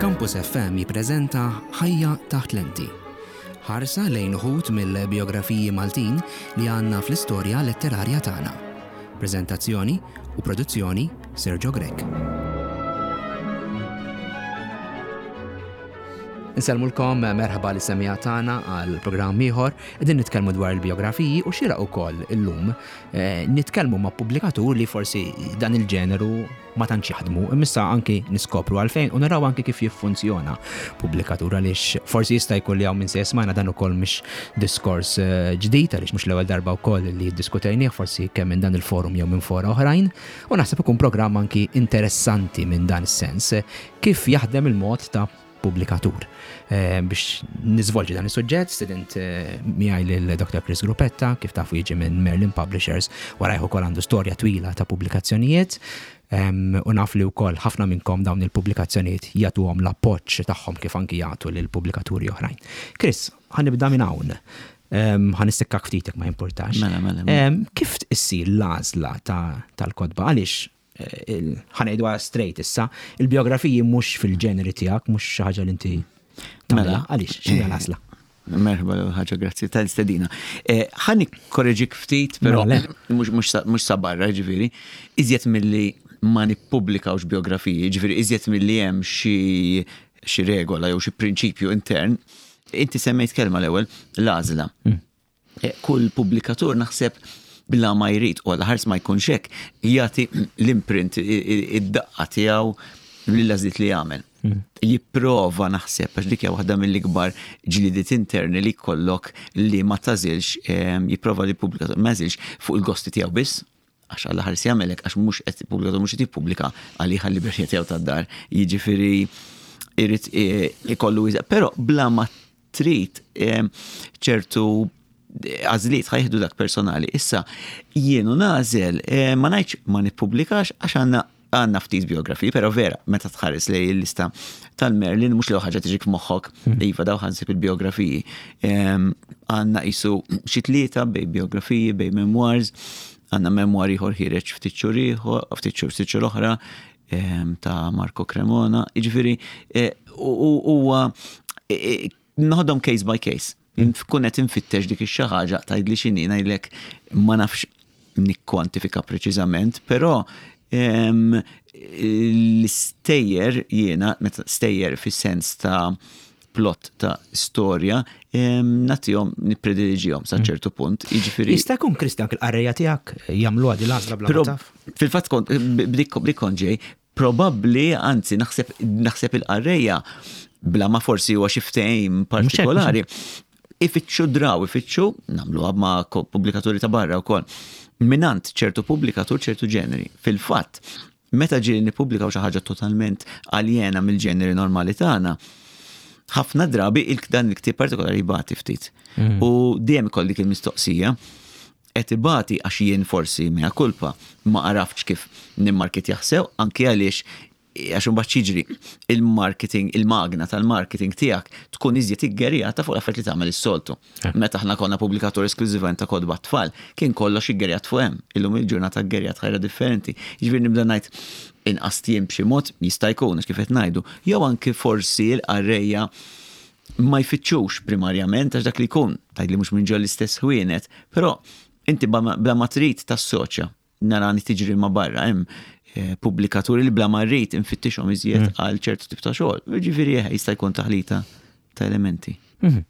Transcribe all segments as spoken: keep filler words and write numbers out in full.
Campus F M jippreżenta Ħajja taħt lenti. Ħarsa lejn uħud mill-biografiji Maltin li għandna fl-istorja letterarja tagħna. Preżentazzjoni u produzzjoni, Sergio Grech. Insellmulkom, merħba lis-semmiegħa tagħna għal programm ieħor. Qegħdin nitkellmu dwar il-biografiji u xieraq ukoll illum eh, nitkellmu ma' pubblikatur li forsi dan il-ġeneru ma tantx jaħdmu, imissa anki niskopru għalfejn u naraw anki kif jiffunzjona pubblikatur, għaliex forsi jista' jkun li hawn minn se jesmana dan ukoll mhix diskors eh, ġdid, għaliex mhux l-ewwel darba wkoll li ddiskutejnieh, forsi kemm minn dan il-forum jew minn fora oħrajn, u naħseb ikun programm anki interessanti minn dan is-sens kif jaħdem il-mod ta' pubblikatur. Eh, biex niżvolġi dan is-suġġett, stedint eh, miegħi lil Doctor Chris Gruppetta, kif tafu jiġi minn Merlin Publishers, warajh ukoll għandu storja twila ta' pubblikazzjonijiet. Em, u naf li wkoll ħafna minnkom dawn il-pubblikazzjonijiet jagħtuhom l-appoġġ tagħhom kif anki jagħtu lil pubblikaturi oħrajn. Chris, ħa nibda minn hawn. Em, ħa nistikkak ftit jekk ma jimpurtax. Mela, mela, mela. Em, kif issir l-għażla ta' tal-kotba? Għaliex eh, ħa ngħidu straight issa, il-biografiji mhux fil-ġeneri tiegħek, mhux xi ħaġa li inti tagħmilha. Mela. Għaliex, x'inhi l-għażla? Merħba l ħaġa, grazzi tal-istedina. Eh, Ħa nikkoreġik ftit, però Mela, le. mhux mhux sa- mhux sa barra, ġifieri, iżjed milli ma nippubblikawx biografiji, ġifieri iżjed milli hemm xi xi regola jew xi prinċipju intern, inti semmejt kelma l-ewwel, l-għażla. Eh, Kull pubblikatur naħseb bla ma jrid u għal ħars ma jkunx hekk jagħti l-imprint, i- i- id-daqqa tiegħu lill-għażliet li jagħmel. Jipprova naħseb, għax dik hija waħda mill-ikbar ġlidiet interni li jkollok li ma tagħżilx, em, jipprova li pubblikatur ma jagħżilx fuq il-gosti tiegħu biss, għax għalla ħares jagħmelek, għax mhux qed pubblikatur mhux qed jippubblika għalih, għal-libertà tiegħu tad-dar. Jiġifieri irid eh, ikollu iża- però bla ma trid em, ċertu għażliet ħa jieħdu dak personali. Issa, jienu nagħżel, eh, ma ngħidx ma nippubblikax, għax għandna għandna ftit biografiji, pero vera, meta tħares lejn il-lista tal-Merlin, mhux li ħaġa tiġik f'moħħok, iva, daw ħa nsib il-biografiji. Em, Għandna qisu xi tlieta bejn biografiji, bejn memoirs, għandna memoir ieħor ħiereġ ftit xhur ieħor, ftit xhur ftit xhur oħra, em, ta' Marco Cremona, jiġifieri eh, u- u- huwa eh, eh, noħodhom case by case. Kun qed infittex dik ix-xi ħaġa, tgħidli x'inhi, ngħidlek ma nafx nikkwantifika preċiżament, però em, l-istejjer jiena, meta stejjer fis-sens ta' plot ta' storja, em, nagħtihom, niprediliġihom sa ċertu punt. Jiġifieri Jista' jkun, Kristjan, il-qarrejja tiegħek jagħmlu għadi l-għażla bla ma Pro- taf? Fil-fatt kont bdik bdik kont ġej, probabbli, anzi naħseb naħseb il-qarrejja bla ma forsi huwa xi ftehim partikolari. Ifittxu draw, ifittxu, nagħmluha ma' ko- pubblikaturi ta' barra wkoll. Mingħand ċertu pubblikatur ċertu ġeneri. Fil-fatt, meta ġieli nippubblikaw xi ħaġa totalment aljena mill-ġeneri normali tagħna, ħafna drabi il dan il-ktieb partikolari jbati ftit. U dejjem ikolli dik il-mistoqsija, qed ibati għax jien forsi, mea culpa, ma għaraftx kif nimmarketjah sew, anki għaliex għax imbagħad jiġri il-marketing, il-magna tal-marketing tiegħek tkun iżjed iggerjata fuq l-affarijiet li tagħmel is-soltu. Meta aħna konna pubblikatur esklużivament ta' kotba tfal, kien kollox iggerjat fuq hemm. Illum il-ġurnata ggerjat ħajra differenti. Jiġifieri nibda ngħid inqas tiem b'xi mod, jista' jkun, għax kif qed ngħidu, jew anki forsi l-qarrejja ma jfittxux primarjament, għax dak li jkun, tgħidli mhux minn ġol l-istess ħwienet, però inti bla bla ma trid tassoċja, narani tiġri ma barra, hemm eh, pubblikaturi li bla ma rrid infittixhom iżjed għal ċertu tip ta' xogħol. Ġifieri eh, jista' jkun taħlita ta' elementi. Mhm.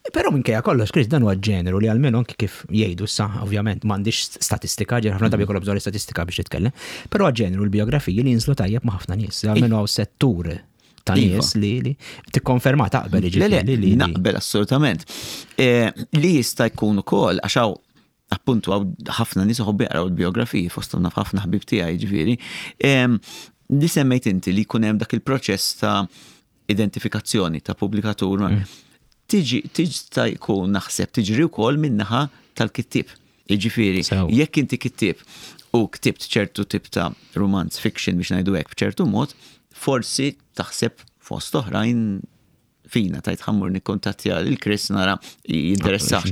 Però minkejja kollox, Chris, dan huwa ġeneru li almenu anki kif jgħidu sa, ovvjament m'għandix statistika, ġer ħafna drabi jkollok bżonn statistika biex titkellem, però ġeneru l-biografiji li jinżlu tajjeb ma' ħafna nies, almenu hawn settur ta' Iva. nies li li tikkonferma, taqbel Le, le, jiġifieri li li naqbel assolutament. Eh, Li jista' jkun ukoll għax hawn appuntu hawn ħafna nies iħobbu jaqraw il-biografiji, fosthom naf ħafna ħbib tiegħi ġifieri. Em, Li semmejt inti li jkun hemm dak il-proċess ta' identifikazzjoni ta' pubblikatur. Tiġi, tiġi jkun naħseb tiġri wkoll min-naħa tal-kittieb. Jiġifieri, Sew. jekk inti kittieb u ktibt ċertu tip ta' romance fiction, biex ngħidu hekk, b'ċertu mod, forsi taħseb fost oħrajn fina, tgħid ħa mmur nikkontattja lil Chris nara jinteressax.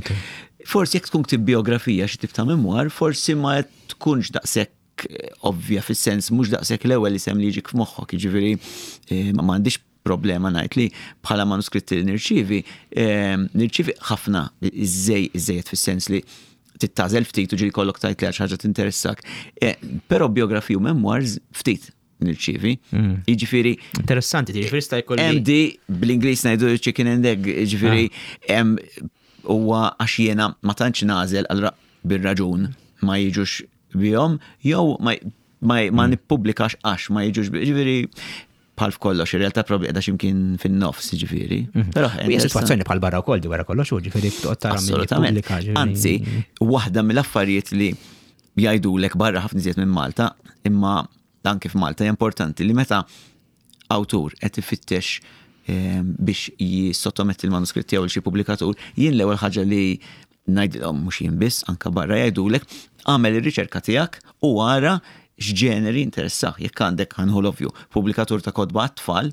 Forsi jekk tkun ktib biografija, xi tip ta' memoir, forsi ma tkunx daqshekk ovvja, fis-sens mhux daqshekk l-ewwel isem li jiġik f'moħħok, jiġifieri eh, ma m'għandix problema ngħid li bħala manuskritti li nirċivi, ehm, nirċivi ħafna iżej iżejjed fis-sens li tagħżel ftit u ġieli kollok tajt li għax ħaġa tinteressak. Eh, però biografiji u memoirs ftit nirċivi. Mm. Jiġifieri Interessanti, jiġifieri sta jkolli. M D bl-Ingliż ngħidu chicken and egg, jiġifieri hemm huwa għax jiena ma tantx nagħżel, allura bir-raġun ma jiġux bihom jew ma ma, ma nippubblikax għax ma jiġux bi- jiġifieri bħal f'kollox, ir-realtà probabbli qiegħda x'imkien fin-nofs, jiġifieri. Però U hija sitwazzjoni bħal barra wkoll di wara kollox, u ġifieri toqgħod tara min Assolutament. jippubblika, ġifieri- Anzi, waħda mill-affarijiet li jgħidulek barra ħafna iżjed minn Malta, imma anke f'Malta hija importanti li meta awtur qed ifittex eh, biex jissottometti il-manuskritt tiegħu lil xi pubblikatur, jien l-ewwel ħaġa li ngħidilhom, mhux jien biss, anka barra jgħidulek, għamel ir-riċerka tiegħek u ara x'ġeneri interessak. Jekk għandek, ħa nieħu l-ovvju, pubblikatur ta' kotba għat-tfal,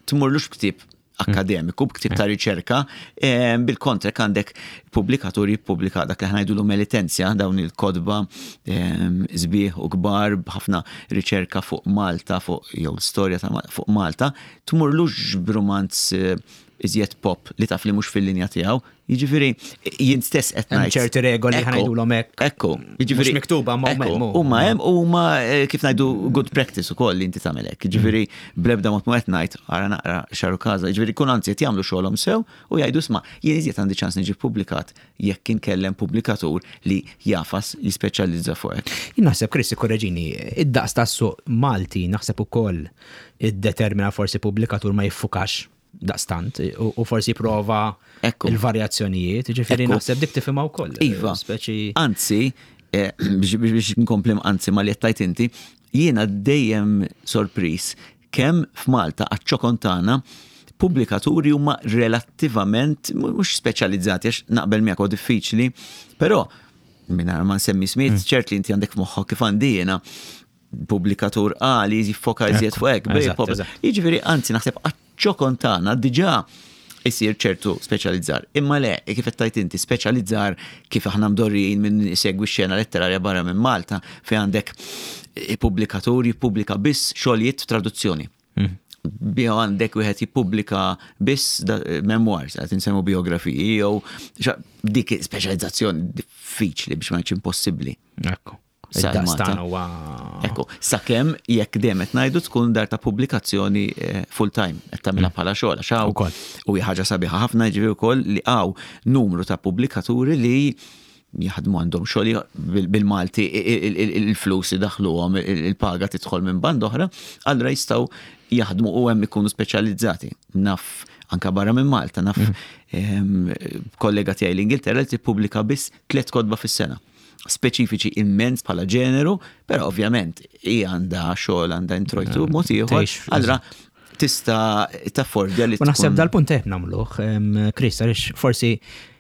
tmurlux b'ktieb akademiku, b'ktieb ta' riċerka, eh, bil-kontra jekk għandek pubblikatur jippubblika dak li ħa ngħidu Melitensia, dawn il-kotba eh, sbieħ u kbar b'ħafna riċerka fuq Malta, fuq jew l-istorja ta' Mal- fuq Malta, tmurlux b'rumanz eh, iżjed pop li taf li mhux fil-linja tiegħu. Jiġifieri jien stess qed Hemm ngħid. ċerti regoli Ekku, ħa ngħidulhom hekk. Ekku, jiġifieri Mhux miktuba, ma huma ekku, hemm, Huma hemm huma eh, kif ngħidu good practice ukoll li inti tagħmel hekk. Jiġifieri bl-ebda mod ma qed ngħid ara naqra x'għarukaża. Jiġifieri kun anzi qed jagħmlu xogħolhom sew u jgħidu, "Isma', jien iżjed għandi ċans niġi publikat jekk inkellem pubblikatur li jafas jispeċjalizza fuq hekk." Jien naħseb, Chris, korreġini, id-daqs tas-suq Malti naħseb ukoll iddetermina forsi pubblikatur ma jiffukax daqstant u u forsi prova Ekku. il-varjazzjonijiet, ġifieri Ekku. naħseb dik tifhimha wkoll. Iva. Speċi Anzi, eh, biex biex- biex nkompli anzi ma li qed inti, jiena dejjem sorpris kemm f'Malta għaċ-ċokon tagħna pubblikaturi huma relattivament mhux speċjalizzati, għax naqbel miegħek huwa diffiċli, però mingħajr ma nsemmi smiet, ċert li inti għandek f'moħħok kif għandi jiena pubblikatur A li jiffoka iżjed fuq hekk, B Eżatt, pop- eżatt. Jiġifieri anzi naħseb għaċ-ċokon tagħna diġà isir ċertu speċjalizzar. Imma le, kif qed tajt inti, speċjalizzar kif aħna mdorrijin minn segwi xena letterarja barra minn Malta, fejn għandek pubblikatur jippubblika biss xogħlijiet traduzzjoni. Biha għandek wieħed jippubblika biss da- memoirs, qed insemmu biografiji jew xa- dik speċjalizzazzjoni diffiċli biex ma ngħidx impossibbli. Ekku. Sa Id-daqs Malta. tagħna huwa Ekku, sakemm jekk dejjem qed ngħidu tkun dar ta' pubblikazzjoni eh, full time qed tagħmilha bħala xogħol għax hawn Ukoll. u hija ħaġa sabiħa ħafna ġifieri wkoll li hawn numru ta' pubblikaturi li jaħdmu għandhom xogħol bil- bil-Malti il- il- il-flus idaħluhom, il- il-paga tidħol minn band oħra, allura jistgħu jaħdmu u hemm ikunu speċjalizzati. Naf anka barra minn Malta, naf ehm, kollega tiegħi l-Ingilterra li tippubblika biss tliet kotba fis-sena speċifiċi immens bħala ġeneru, però ovvjament hija għandha xogħol, għandha introjtu mod ieħor, Tgħix, allura tista' taffordja li U naħseb tkun- dal-punt qed nagħmluh, em, Chris, għaliex forsi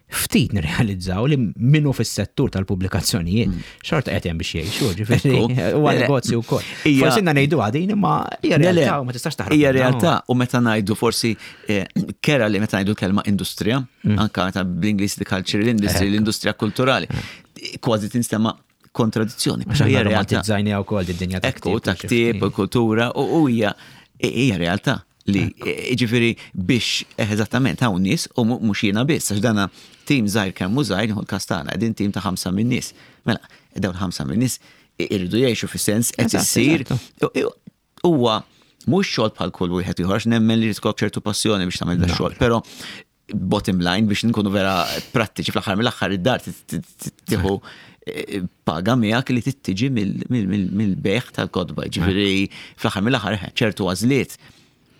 ftit nirrealizzaw li minnu fis-settur tal-pubblikazzjonijiet xorta qed hemm biex jgħixu, ġifieri Ekku. huwa Le, le. negozju wkoll. Hija- Forsi inna ngħidu għadin imma hija Le, le, realtà u ma tistax taħrab. Hija minnha. realtà u meta ngħidu forsi eh, kera li meta ngħidu l-kelma industrija, anka meta bl-Ingliż the cultural industry, l-industrija kulturali, kważi tinstema' kontradizzjoni. Għax Però aħna hija realtà. romantizzajni wkoll id-dinja ta' Ekku, ktieb ta' u xi ktieb, ftit. kultura, u u hija hija realtà li ġifieri biex eh, eżattament hawn nies u mu- mhux jiena biss, għax dana tim żgħir kemm hu żgħir, nieħu l-każ tagħna, qegħdin tim ta' ħamsa minn nies. Mela, dawn ħamsa minn nies irridu jgħixu fis-sens qed Eżatt, issir eżatt. huwa mhux xogħol bħal kull wieħed ieħor, għax nemmen li tkollok ċertu passjoni biex tagħmel da xogħol, però bottom line biex nkunu vera prattiċi, fl-aħħar mill-aħħar id-dar tieħu eh, paga miegħek li tittiġi mill-bejgħ tal-kotba. Ġifieri fl-aħħar mill-aħħar eh, ċertu għażliet,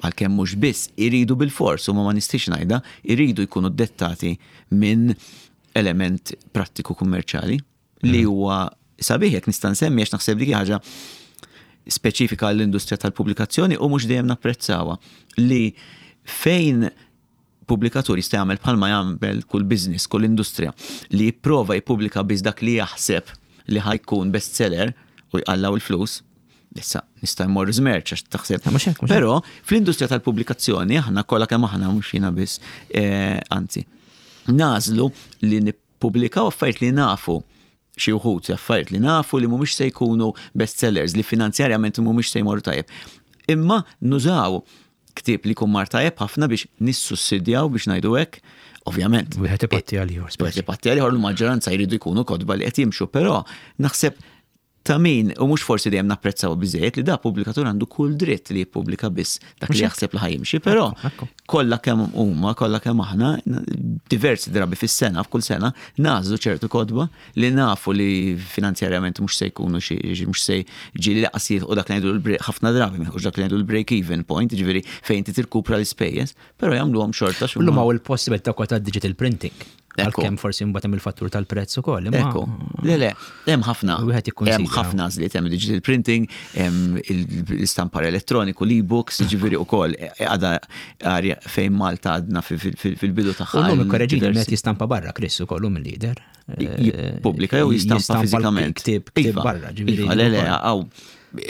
għalkemm mhux biss, iridu bil-fors u ma ma nistix ngħidha, iridu jkunu dettati minn element prattiku kummerċali li huwa sabiħ jekk nista' nsemmi, għax naħseb li ħaġa speċifika għall-industrija tal-pubblikazzjoni u mhux dejjem napprezzawha, li fejn pubblikatur jista' jagħmel bħalma jagħmel kull business, kull industrija, li jipprova jippubblika biss dak li jaħseb li ħa jkun bestseller u jqallaw il-flus. Issa nista' jmorru żmerċ għax taħseb. Mhux hekk, mhux hekk. Però fl-industrija tal-pubblikazzjoni aħna kollha kemm aħna, mhux jiena biss, eh, anzi, nagħżlu li nippubblikaw affarijiet li nafu, xi wħud affarijiet li nafu li mhumiex se jkunu bestsellers, li finanzjarjament mhumiex se jmorru tajjeb. Imma nużaw Ktieb li jkun mar tajjeb ħafna biex nissussidjaw, biex ngħidu hekk, ovvjament. Wieħed ipatti għal ieħor. Wieħed ipatti għal ieħor, l-maġġoranza jridu jkunu kotba li qed jimxu, però naħseb ta' min, u mhux forsi dejjem napprezzaw biżejjed li da pubblikatur għandu kull dritt li jippubblika biss dak li jaħseb li ħa jimxi, però kollha kemm huma, kollha kemm aħna, diversi drabi fis-sena, f'kull sena, nagħżlu ċertu kotba li nafu li finanzjarjament mhux se jkunu xi, mhux se ġieli lanqas u dak li ngħidu ħafna drabi mhux dak li ngħidu l-break even point, ġifieri fejn ti tirkupra l-ispejjeż, però jagħmluhom xorta. Illum hawn il-possibilità ta' digital printing. Għalkemm forsi mbagħad hemm il-fattur tal-prezz ukoll. Ekku. Le, le, hemm ħafna. Hemm ħafna għażliet, hemm digital printing, hemm l-istampar elettroniku, l-e-books, ġifieri ukoll għadha arja fejn Malta għadna fil-bidu tagħha. U llum ikkoreġini, qed jistampa barra Chris ukoll mill-lider. Jippubblika jew jistampa fiżikament. Ktieb barra, ġifieri. Le, le, għaw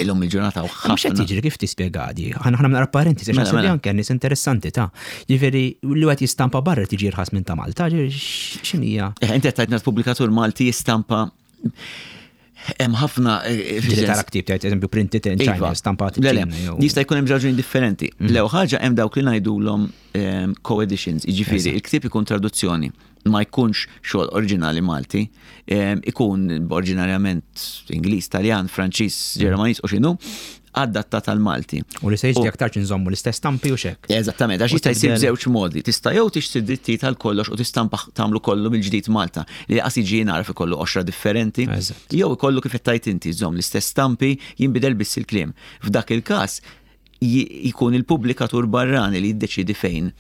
illum il-ġurnata u ħafna. Mhux qed jiġri, kif tispjega di? Ħana ħana naqra parentesi, għax naħseb li anke nies interessanti ta' ġifieri li qed jistampa barra tiġi irħas minn ta' Malta, x'inhija? Eh, inti qed tgħidna pubblikatur Malti jistampa, hemm ħafna. Ġieli tara ktieb tgħid, eżempju, printed in China, stampat. Le, le, jista' jkun hemm raġuni differenti. Mhm. Lew ħaġa, hemm dawk li ngħidulhom ehm, co-editions, jiġifieri il-ktieb ikun traduzzjoni, ma jkunx xogħol oriġinali Malti, ikun oriġinarjament Ingliż, Taljan, Franċiż, Ġermaniż u x'inhu, adattat għal Malti. U li se jiġri aktar nżommu l-istess stampi u xek. Eżattament, għax jista' jsir b'żewġ modi. Tista' jew tixtri dritti tal kollox u tistampa, tagħmlu kollu mill-ġdid Malta, li qas jiġi naraf ikollu qoxra differenti. Jew ikollu kif qed tgħid inti, żomm l-istess stampi, jinbidel biss il-kliem. F'dak il-każ jkun il-pubblikatur barrani li jiddeċidi fejn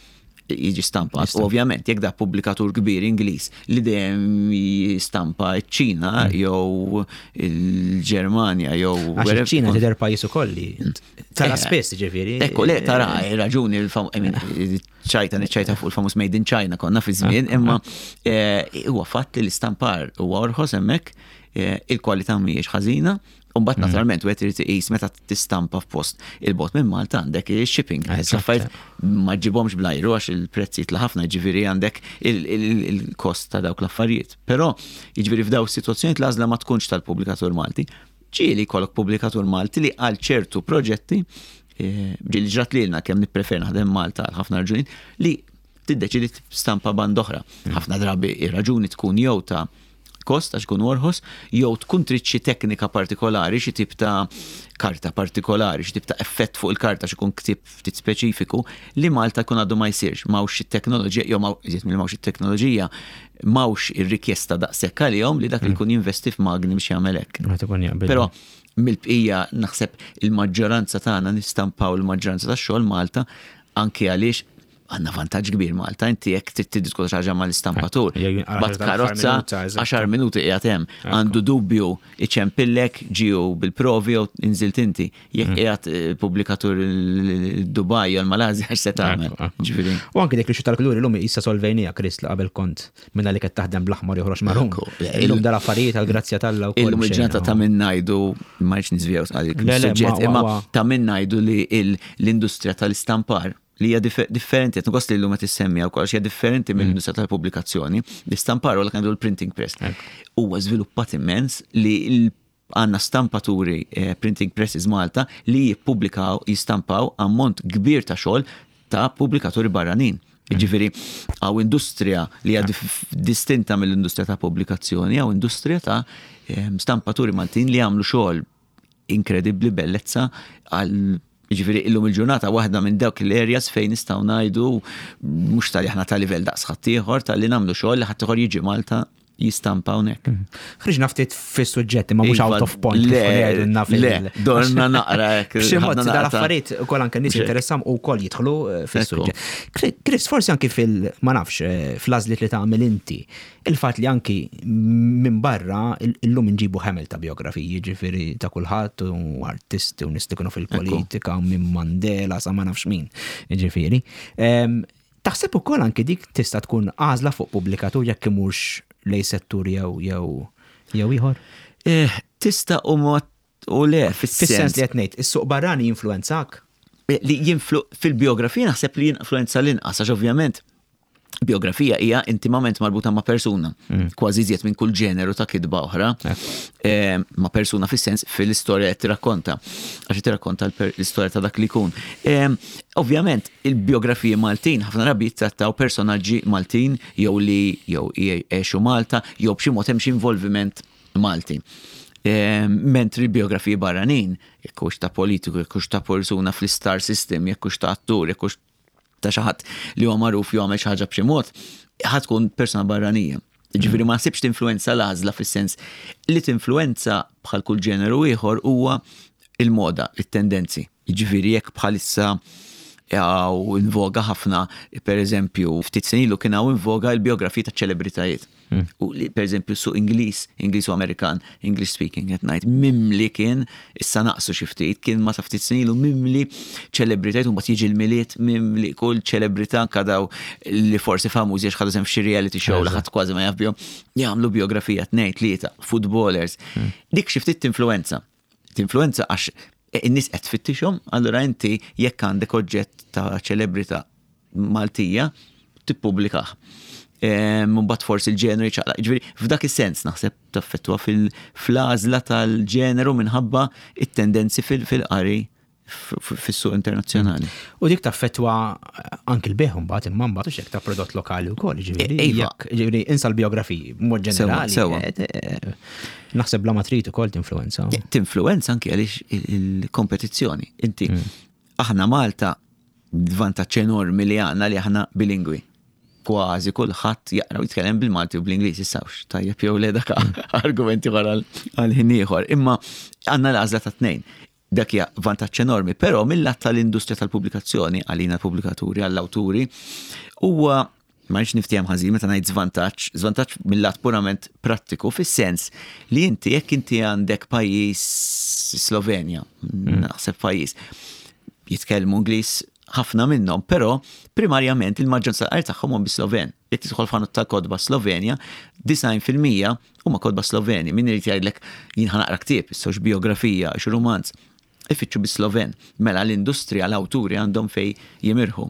jiġi stampat. Ovvjament, jekk da pubblikatur kbir Ingliż li dejjem jistampa ċ-Ċina mm. jew il-Ġermanja jew Għax iċ-Ċina tidher pajjiż ukoll li tara eh, spess, ġifieri. Ekku, le, tara raġuni, ċajta niċċajta fuq il-famuż Made in China konna fi żmien, ah, imma ah. eh, huwa fatt li l-istampar huwa orħos hemmhekk, eh, il-kwalità mhijiex ħażina. U mbagħad mm. naturalment wieħed irid iqis meta tistampa f'post il-bogħod minn Malta, għandek il-shipping. Affarijiet ma ġibhomx bl-ajru għax il-prezzi jitla ħafna, ġifieri għandek il-kost ta' dawk l-affarijiet. Però jiġifieri f'daw is-sitwazzjonijiet l-għażla ma tkunx tal-pubblikatur Malti. Ġieli jkollok pubblikatur Malti li għal ċertu proġetti, eh, ġieli ġrat lilna, kemm nippreferi naħdem Malta għal ħafna raġunijiet, li tiddeċidi stampa band oħra. Mm. Ħafna drabi ir-raġuni tkun jew ta' kost għax ikun orħos, jew tkun trid xi teknika partikolari, xi tip ta' karta partikolari, xi tip ta' effett fuq il-karta, xi jkun ktib ftit speċifiku li Malta jkun għadu ma jsirx, m'hawnx it-teknoloġija, jew iżjed milli m'hawnx it-teknoloġija, m'hawnx ir-rikjesta daqshekk għalihom li dak li jkun jinvesti f'magni biex jagħmel hekk. Però mill-bqija naħseb il-maġġoranza tagħna nistampaw il-maġġoranza tax-xogħol Malta, anke għaliex għandna vantaġġ kbir Malta, inti jekk trid tiddiskuti xi ħaġa mal-istampatur. Bat karozza, għaxar minuti qiegħed hemm. Għandu dubju, iċempillek, ġiju bil-provi jew inżilt inti. Jekk mm. qiegħed eh, pubblikatur il-Dubaj jew l-Malazja, x'se tagħmel? Ġifieri. U anke dik li tal-kuluri llum issa solvejnija, Chris, li qabel kont minna li qed taħdem bl-aħmar joħroġ marrun. Illum dal-affarijiet għal-grazzja t'Alla wkoll. Illum il-ġurnata ta' min ngħidu, ma rridx niżvijaw għalik imma ta' min ngħidu li l-industrija tal-istampar li hija differenti, qed li llum qed issemmi wkoll, hija differenti mm. mill-industrija tal-pubblikazzjoni. L-istampar u l printing press huwa żviluppat immens li għandna stampaturi, eh, printing presses Malta li jippubblikaw, jistampaw ammont kbir ta' xogħol ta' pubblikaturi barranin. Mm. Ġifieri, hawn industrija li hija distinta mill-industrija ta' pubblikazzjoni, hawn industrija ta' eh, stampaturi Maltin li għamlu xogħol inkredibbli, bellezza għal. Ġifieri, illum il-ġurnata waħda minn dawk l-areas fejn nistgħu ngħidu mhux tal aħna ta' livell daqs ħaddieħor, tal-li nagħmlu xogħol li ħaddieħor jiġi Malta jistampa hawnhekk. Mhm. Ħriġna ftit fis-suġġetti ma mhux out of point. Le, le, dorna naqra hekk. B'xi mod dal-affarijiet ukoll anke nies interessam u wkoll jidħlu eh, fis-suġġett. Chris, forsi anki fil ma nafx eh, fl-għażliet li tagħmel inti, il-fatt li anki minn barra illum inġibu ħemel ta' biografiji, ġifieri ta' kulħadd u artisti u nies li kienu fil-politika, minn Mandela sa ma nafx min, ġifieri. Taħseb ukoll anki dik tista' tkun għażla fuq pubblikatur jekk imurx lej settur jew jew jew ieħor? Eh, tista' u ma u le. Fis-sens li qed ngħid, is-suq barrani jinfluwenzak? Eh, li jinflu fil-biografija naħseb li jinfluenza l-inqas, għax ovvjament Biografija hija intimament marbuta ma' persuna, mm. kważi iżjed minn kull ġeneru ta' kitba oħra, eh, ma' persuna fis-sens fil-istorja qed tirrakkonta, għax tirrakkonta l-istorja ta' dak li jkun. Eh, ovvjament, il-biografiji Maltin ħafna drabi jittrattaw personaġġi Maltin jew li jew għexu Malta jew b'xi mod hemm xi involviment Malti. Eh, mentri biografiji barranin, jekk hux ta' politiku, jekk hux ta' persuna fl-star system, jekk hux ta' attur, jekk hux ta' xi ħadd li huwa magħruf jew għamel xi ħaġa b'xi mod, ħa tkun persona barranija. Ġifieri ma nsibx tinfluenza l-għażla fis-sens li tinfluenza bħal kull ġeneru ieħor huwa il-moda, it-tendenzi. Ġifieri jekk bħalissa hawn in voga ħafna, per eżempju, ftit snin ilu kien hawn in voga il-biografiji ta' ċelebritajiet. Hmm. U li, per eżempju, su Ingliż, Ingliż u Amerikan, English speaking at night, mimli kien, issa naqsu xi ftit, kien ma ta' ftit snin ilu mimli ċelebritajiet, u mbagħad jiġi l-Milied mimli kull ċelebrità kadaw li forsi famużi għax ħadu sehem f'xi reality show li ħadd kważi ma jaf bihom, jagħmlu biografija tnejn, tlieta, footballers. Hmm. Dik xi ftit tinfluenza. Tinfluenza għax in-nies qed tfittixhom, allura inti jekk għandek oġġett ta' ċelebrità Maltija, tippubblikah. Mbagħad forsi il-ġeneru ċaqlaq. Ġifieri f'dak is-sens naħseb taffettwa fil-għażla tal-ġeneru minħabba it-tendenzi fil-qari fis-suq internazzjonali. U dik taffettwa anki l-bejgħ mbagħad imma mbagħad hekk ta' prodott lokali wkoll, ġifieri. E, iva. Ġifieri insa l-biografiji b'mod ġenerali. Sewa. Eh, eh, naħseb bla ma trid ukoll tinfluenza. Tinfluenza anki għaliex il-kompetizzjoni. Inti mm. aħna Malta vantaġġ enormi li għandna li aħna bilingwi. Kważi kulħadd jaqra u jitkellem bil-Malti u bl-Ingliż issawx. Tajjeb jew le dak argumenti wara għal ħin ieħor. Imma għandna l-għażla ta' tnejn. Dak hija vantaġġ enormi, però mill-lat tal-industrija tal-pubblikazzjoni, għalina pubblikaturi, għall-awturi, huwa ma rridx niftiehem ħażin meta ngħid żvantaġġ, żvantaġġ mill-lat purament prattiku fis-sens li inti jekk inti għandek pajjiż Slovenja, naħseb pajjiż jitkellmu Ingliż ħafna minnhom, però primarjament il-maġġoranza tal tagħhom huma bi-Sloven. Jekk tidħol f'ħanut tal-kotba Slovenja, disgħin fil-mija huma kotba Sloveni. Min irid jgħidlek jien ħa naqra ktieb, issa biografija, xi rumanz, ifittxu bi-Sloven. Mela l-industrija, l-awturi għandhom fej jimirħu.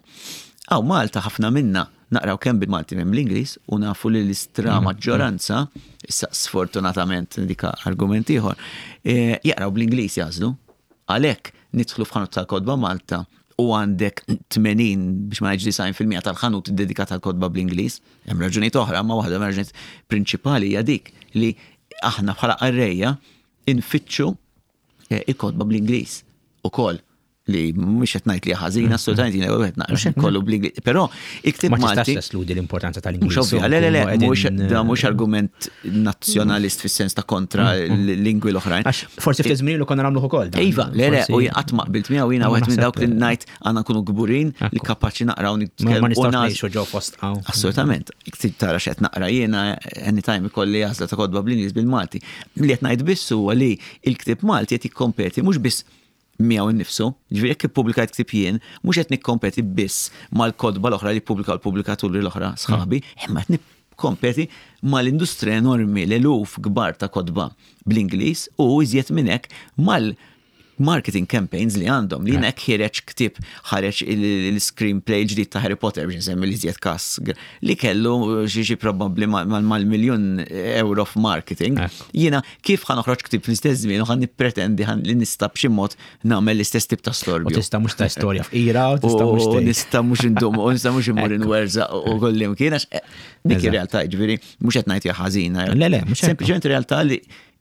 Hawn Malta ħafna minna naqraw kemm bil-Malti minn l-Ingliż u nafu li l-istra maġġoranza, issa sfortunatament dika argument ieħor, eh, jaqraw bl-Ingliż jażlu. Għalhekk nidħlu f'ħanut tal-kotba Malta u għandek tmenin biex ma ngħidx disgħin fil-mija tal-ħanut dedikat tal-kotba bl-Ingliż. Hemm raġunijiet oħra, ma waħda mir-raġunijiet prinċipali hija dik li aħna bħala qarrejja infittxu eh, il-kotba bl-Ingliż ukoll li mhux qed ngħid li ħażin, assolutament jiena qed naqra kollu bl-Ingliż. Però il-ktieb Ma tistax Malti teskludi l-importanza tal-Ingliż. Mhux ovvja, le le le, Nkunu mhux qegħdin, da mhux argument nazzjonalist fis-sens ta' kontra l-lingwi l-oħrajn. Għax forsi ftit żmien ilu konna nagħmluh ukoll. dan. Iva, le le, Forsi- u qatt ma qbilt miegħu jiena Ma wieħed minn naħseb- dawk li ngħid għandna nkunu kburin li Ekku. kapaċi naqraw Ma ma nitkellmu u nistgħux nagħżlu. ngħixu ġo fost hawn. Assolutament. Iktar tara x'qed naqra jiena anytime ikolli għażla ta' kotba bl-Ingliż bil-Malti. Li qed ngħid biss huwa li l-ktieb Malti qed jikkompeti mhux biss miegħu innifsu, ġifieri jekk ippubblikajt ktieb jien, mhux qed nikkompeti biss mal-kotba l-oħra li ppubblikaw l-pubblikaturi l-oħra sħabi, imma qed nikkompeti mal-industrija enormi l-eluf kbar ta' kotba bl-Ingliż u iżjed minn hekk mal marketing campaigns li għandhom li jiena ħiereġ ktieb ħareġ il-screenplay ġdid ta' Harry Potter biex nsemmi li iżjed kas li kellu xi xi probabbli mal-miljun euro f'marketing. Ekku. Jiena kif ħa noħroġ ktieb fl-istess żmien u ħa nippretendi ħan li nista' b'xi mod nagħmel l-istess tip ta' U storbju. tista' mhux ta' storja fqira, u tista' mhux U tgħid. nista' mhux indum, u nista' mhux immur inwerżaq u kollim kien għax eh, dik Eżatt. ir-realtà, ġifieri mhux qed ngħid hija ħażina. Le, le, mhux hekk. Sempliċement realtà li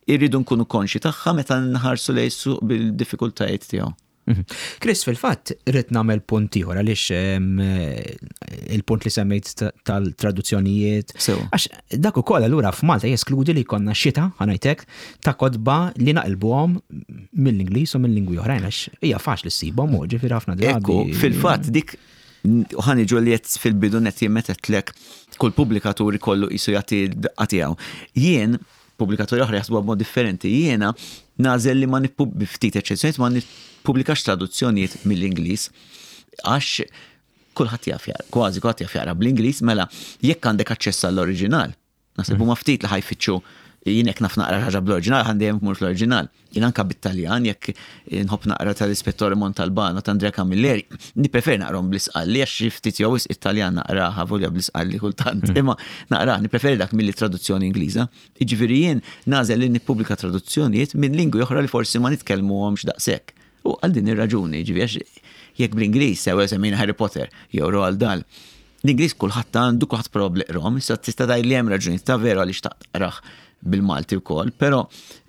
irridu nkunu konxi tagħha meta nħarsu lejn suq bil-diffikultajiet tiegħu. Mhm. Chris, fil-fatt, irrid nagħmel punt ieħor għaliex em, il-punt li semmejt ta- tal-traduzzjonijiet. Sewa. Għax dak ukoll allura f'Malta jeskludi li jkollna xita, ħa ngħidlek, ta' kotba li naqilbuhom mill-Ingliż u mill-lingwi oħrajn għax hija faċli ssibhom u ġifieri ħafna drabi. Ekku, fil-fatt dik ħa niġu li jett fil-bidu net jien meta għedtlek kull pubblikatur ikollu jisu jagħti d-daqqa tiegħu. Jien, pubblikaturi oħra jaħsbu b'mod differenti, jiena nagħżel li ma nippub ftit eċċezzjonijiet ma nippubblikax traduzzjonijiet mill-Ingliż għax kulħadd jaf jaqra, kważi kulħadd jaf jaqra bl-Ingliż, mela jekk għandek aċċess għall-oriġinal, naħseb huma ftit li ħa jfittxu Jien jekk naf naqra ħaġa bl-oriġinal, ħa dejjem mmur fl-oriġinal. Jien anka bit-Taljan, jekk nħobb naqra tal-Ispettore Montalbano ta' Andrea Camilleri, nippreferi naqrahom bl-Isqalli għax xi ftit jew wisq Italjan naqraha volja bl-Isqalli kultant. Imma naqra, nippreferi dak milli traduzzjoni Ingliża. Jiġifieri jien nagħżel li nippubblika traduzzjonijiet minn lingwi oħra li forsi ma nitkellmuhomx daqshekk. U għal din ir-raġuni, ġifieri għax jekk bl-Ingliż, sew semmejna Harry Potter jew Roald Dahl, l-Ingliż kulħadd għandu, kulħadd probabbli qrahom, issa tista' tgħid li hemm raġuni ta' veru għaliex taqrah bil-Malti wkoll, però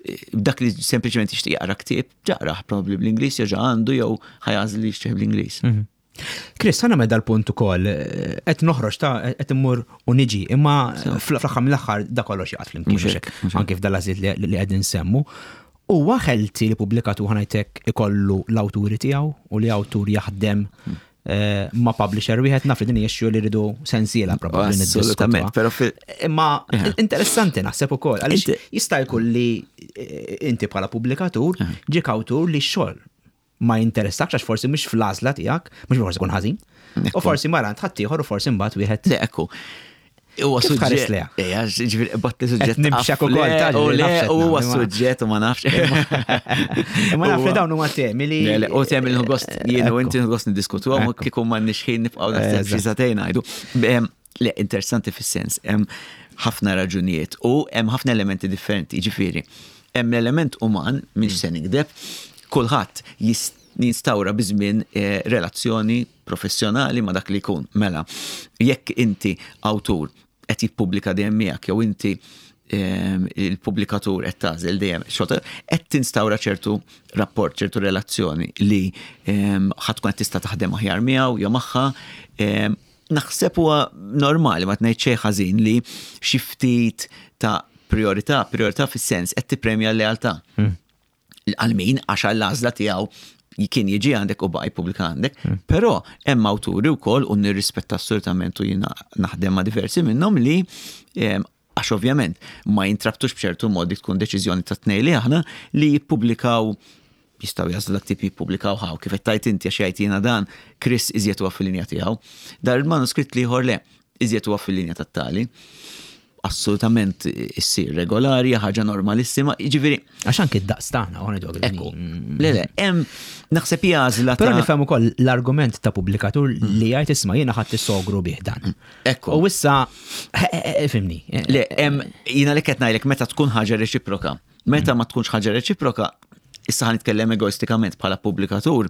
eh, dak li sempliċement jixtieq jaqra ktieb, jaqrah probabbli bl-Ingliż jew ġa għandu jew ħa jagħżel li jixtrih bl-Ingliż. Chris, ħa nagħmel dal-punt ukoll, eh, qed noħroġ ta' qed immur u niġi, imma fl-aħħar mill-aħħar da kollox jaqgħod flimkien Mhux hekk, mhux hekk. anke f'dal-għażliet li li qegħdin nsemmu. Huwa healthy li pubblikatur, ħa ngħidlek, ikollu l-awturi tiegħu u li awtur jaħdem eh, ma' publisher wieħed? Naf li din hija issue li rridu sensiela probabbli Assolutament, niddiskutuha. però fil- Imma Eħe. interessanti naħseb ukoll għaliex Inti- jista' jkun li eh, inti bħala pubblikatur ġiek awtur li x-xogħol ma jinteressakx għax forsi mhux fl-għażla tiegħek, mhux forsi jkun ħażin. U Ekku. forsi mara ħaddieħor u forsi mbagħad wieħed. Le, ekku. Huwa Kif tħares suġġett. leha? Ejja, ġifieri batti suġġett. Qed nimxek ukoll, Le, taġi, u le, nafx qed huwa nagħmel, imma- suġġett u ma nafx. Imma naf li Huwa- dawn huma temi li. Le, le, u temi li gost jien u Ekku. inti gost niddiskutu għam Ekku. kieku ma nixħin nibqgħu naħseb xi Eżatt. sagħtejn ngħidu. Em, Le, interessanti fis-sens, hemm ħafna raġunijiet u hemm ħafna elementi differenti, ġifieri. Hemm l-element uman, mhix se nikdeb, kulħadd jis- jinstawra biż-żmien eh, relazzjoni professjonali ma dak li jkun. Mela, jekk inti awtur qed jippubblika dejjem miegħek jew inti ehm, il-pubblikatur qed tagħżel dejjem xogħol, qed tinstawra ċertu rapport, ċertu relazzjoni li ehm, ħa tkun qed tista' taħdem aħjar miegħu jew magħha. ehm, Naħseb huwa normali, ma tgħid xejn ħażin li xi ftit ta' priorità, priorità fis-sens qed tippremja l-lealtà. Għal min għax għall-għażla tiegħu kien jiġi għandek u baqa' jippubblika għandek, però hemm awturi wkoll u nirrispetta assolutament u jiena naħdem ma' diversi minnhom li em, għax ovvjament ma jintrabtux b'ċertu modi, tkun deċiżjoni ta' tnejn li aħna li jippubblikaw, jistgħu jagħżlu dak tip jippubblikaw ħaw kif qed tajt inti, għax jgħid jiena dan Chris iżjed huwa fil-linja tiegħu. Dar il-manuskritt l-ieħor le, iżjed huwa fil-linja tat-tali. Assolutament issir regolari, ħaġa normalissima, jiġifieri Għax anki d-daqs tagħna, u ngħidu Ekku, le le, hemm naħseb hija għażla Però ta' nifhem ukoll l-argument ta' pubblikatur li jgħid, "Isma', jiena ħadd is-sogru bih dan." Ekku. U issa eh, eh, fimni. Le, hemm jiena li qed ngħidlek meta tkun ħaġa reċiproka. Meta ma tkunx ħaġa reċiproka, issa ħa nitkellem egoistikament bħala pubblikatur,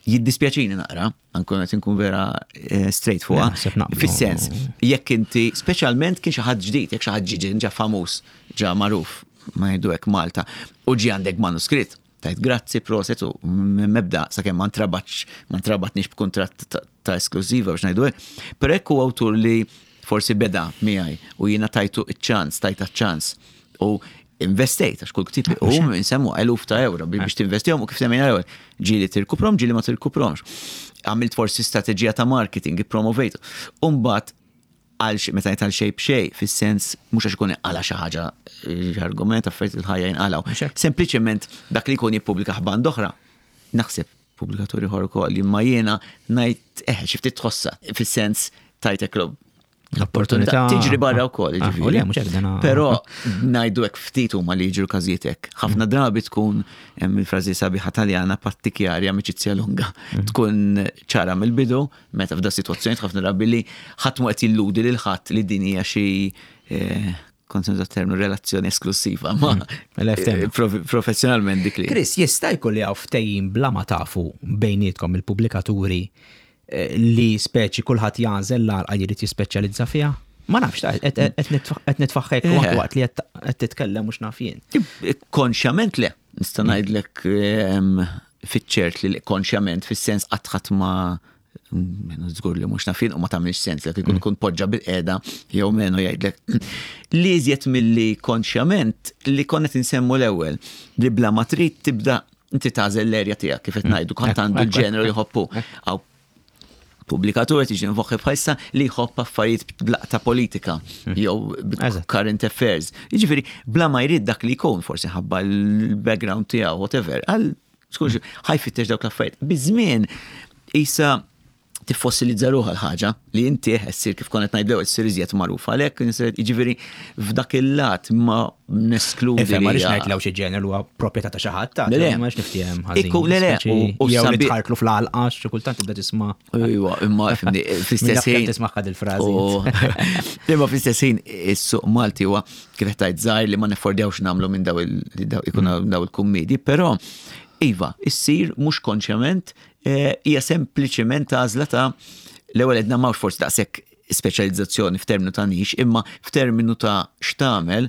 jiddispjaċini naqra, ankun qed inkun vera eh, straight fuqha. Naħseb naqblu. Fis-sens, jekk inti, speċjalment kien xi ħadd ġdid, jekk xi ħadd ġi ġa famuż, ġa magħruf, ma ngħidu hekk Malta, u ġi għandek manuskritt, tajt grazzi, proset u mebda sakemm ma ntrabatx, ma ntrabatniex b'kuntratt ta- ta' esklużiva biex ngħidu hekk. Però hekk huwa awtur li forsi beda miegħi u jiena tajtu iċ-ċans, tajta ċans u investejt, għax kull ktib u nsemmu eluf ta' euro biex tinvestihom u kif semmejna l-ewwel, ġieli tirkuprom, ġieli ma tirkupromx. Għamilt forsi strateġija ta' marketing, ippromovejt. U mbagħad għal xi- meta ngħid għal xejn b'xejn, fis-sens mhux għax ikun għala xi ħaġa eh, argument affarijiet il-ħajja jinqalgħu. Mhux hekk. Sempliċement dak li jkun jippubblika band oħra, naħseb pubblikaturi ieħor ukoll, imma jiena ngħid eh xi ftit tħossa fis-sens tajtek l L-opportunità. Tiġri barra wkoll, Ah, ġifieri. u le, mhux hekk dana- Però ngħidu hekk ftit huma li jiġru każijiet hekk. Ħafna drabi tkun hemm il-frażi sabiħa Taljana, "patti chiari, amicizia lunga". Tkun ċara mill-bidu meta f'da sitwazzjoni ħafna drabi li ħadd mu qed jilludi lil ħadd li din hija xi eh, kont nuża terminu relazzjoni esklusiva, ma L F T M. eh, prof- professjonalment dik li. Chris, jista' jkun li hawn ftehim bla ma tafu bejnietkom il-pubblikaturi eh, li speċi kulħadd jagħżel l-għalqa li jrid jispeċjalizza fiha? Ma nafx, ta' qed qed nitfa- qed nitfaħħek Eh. waqt li qed qed titkellem mhux naf jien. Konxjament le, nista' ngħidlek ehm, fiċ-ċert li konxjament fis-sens qatt ħadd ma menu żgur li mhux nafin u ma tagħmilx sens li jkun kun poġġa bil-qiegħda jew menu jgħidlek. Li iżjed milli konxjament li konna insemmu l-ewwel li bla ma trid tibda inti tagħżel l-erja tiegħek kif qed ngħidu, kont għandu l-ġeneru jħobbu. Għaw pubblikatur tiġi nfoħħi bħalissa li jħobb affarijiet blaqta politika jew Eżatt. current affairs. Jiġifieri bla ma jrid dak li jkun forsi ħabba l-background tiegħu whatever. Għal skurx ħa jfittex dawk l-affarijiet. Biż-żmien isa Tiffossilizza ruħha l-ħaġa li inti ssir, kif kont ngħid, ssir iżjed magħruf għalhekk, jiġifieri f'dak il-lat ma neskludi. Ifhem, ma rridx ngħid lew xi ġeneru huwa proprjetà ta' xi ħadd ta' Le, le. ma rridx niftiehem ħażin. Ikku, le, le, u- u jew li sabi- tħartlu fl-għalqa, xi kultant tibda tisma'. Iwa, imma fimni, fl-istess Min ħin. tisma' il-frażi. U- Imma fl-istess ħin is-suq Malti huwa, kif qed tgħid, żgħir li ma neffordjawx nagħmlu minn daw il- daw ikun daw il-kummedi, però iva, issir mhux konxjament, eh, hija sempliċement għażla ta' l-ewwel edna m'hawnx forsi daqshekk speċjalizzazzjoni f'terminu ta' niche, imma f'terminu ta' x'tagħmel,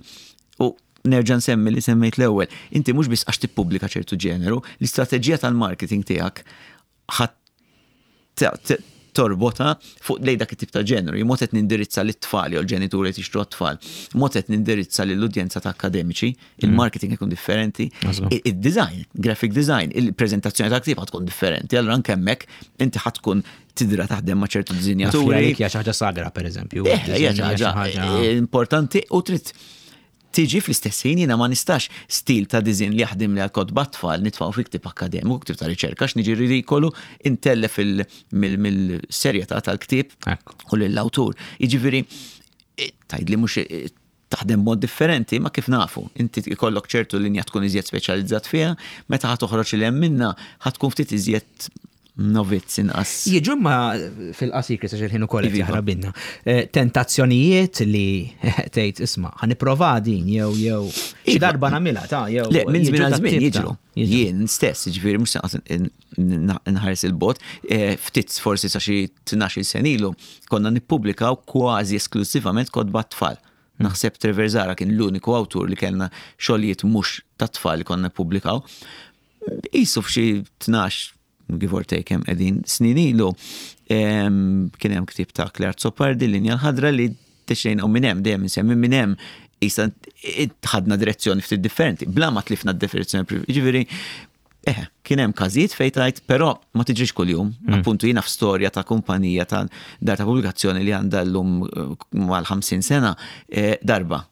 u nerġa' nsemmi li semmejt l-ewwel. Inti mhux biss għax tippubblika ċertu ġeneru, l-istrateġija tal-marketing tiegħek ħadd ta- ta- torbota fuq lej dak it-tip ta' ġeneru. Mod qed nindirizza lit-tfal jew l-ġenituri li jixtru t-tfal. Mod qed nindirizza lill-udjenza ta' akademiċi, il-marketing ikun differenti, Għażlu. i- il-design, graphic design, il-prezentazzjoni ta' ktieb ħa tkun differenti. Allura anke hemmhekk inti ħa tkun tidra taħdem ma' ċertu dizinjaturi. Hija xi ħaġa sagra, pereżempju. Eh, hija xi ħaġa importanti u trid tiġi fl-istess ħin, jiena ma nistax stil ta' design li jaħdem li għal kotba tfal nitfgħu fi ktib akademiku, ktib ta' riċerka, għax niġi ridikolu, intellef il- mill- mill-serjetà tal-ktib Ekku. u lill-awtur. Jiġifieri, eh, tgħid li mhux eh, taħdem mod differenti, ma kif nafu, inti ikollok ċertu linja tkun iżjed speċjalizzat fiha, meta ħa toħroġ li hemm minna ħa tkun ftit iżjed novizz, inqas. Jiġu ma fil-qasir, Chris, għax il-ħin ukoll qed Iva. jaħrab binna. Eh, Tentazzjonijiet li tgħid, "Isma', ħa nipprova din," jew jew xi Iva. darba nagħmilha ta' jew Le, minn żmien jiġu għal ta' żmien tip ta' jiġru. Jien stess, ġifieri mhux se nħares il-bot, eh, ftit forsi sa xi tnax-il sena ilu konna nippubblikaw kważi esklusivament kotba tfal. Naħseb Trevor Zara kien l-uniku awtur li kellna xogħlijiet mhux ta' tfal li konna nippubblikaw. Isu f'xi tnax, give or take, hemm qegħdin snin ilu, em, kien hemm ktieb ta' Clare Azzopardi, Linja l-Ħadra, li deċidejna, u minn hemm dejjem insemmi, minn hemm issa ħadna direzzjoni ftit differenti, bla ma tlifna d-definizzjoni. Ġifieri, eh, kien hemm każijiet fejn tajt, però ma tiġrix kuljum. Appuntu, jiena f'storja ta' kumpanija ta' dar ta' pubblikazzjoni li għandha llum eh, mal-ħamsin sena, eh, darba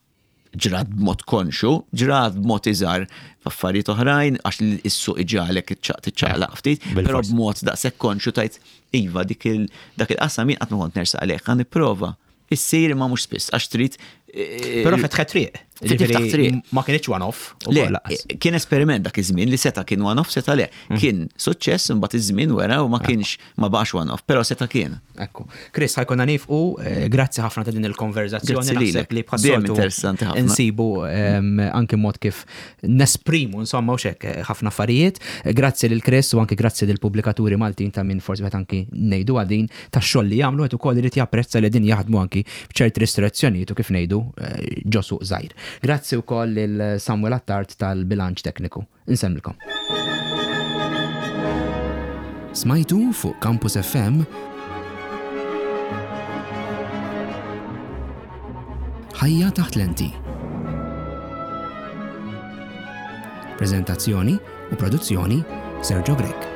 ġrat b'mod konxu, ġrat b'mod iżgħar f'affarijiet oħrajn, għax is-suq iġagħlek tiċċaqlaq ftit, però Bil-fors. b'mod daqshekk konxu tajt iva dik il dak il-qasam jien qatt ma kont nersaq għalih, ħa nipprova. Issir, ma mhux spiss, għax trid eh, Però fetħet triq. Tiftaħ Ġifieri, triq. ma kienx one-off. Le, ukoll lanqas. kien esperiment dak iż-żmien li seta' kien one-off, seta' le. Kien suċċess, imbagħad iż-żmien wera u ma kienx, ma baqax one-off, però seta' kien. Ekku. Chris, ħa jkollna nieqfu, eh, grazzi ħafna ta' din il-konverzazzjoni. Grazzi Naħseb lilek. li Dejjem bħas-soltu interessanti ħafna. insibu em, anki mod kif nesprimu, insomma, u xek, eh, ħafna affarijiet. Eh, Grazzi lil Chris u anki grazzi lil pubblikaturi Maltin ta' min forsi meta anki ngħidu għadin ta' xogħol li jagħmlu qed ukoll irid japprezza li din jaħdmu anki b'ċerti restrizzjonijiet u kif ngħidu eh, ġo suq żgħir. Grazzi wkoll lil Samuel Attard tal-bilanċ tekniku. Insemmilkom. Smajtu fuq Campus F M Ħajja taħt lenti. Prezentazzjoni u produzzjoni, Sergio Grech.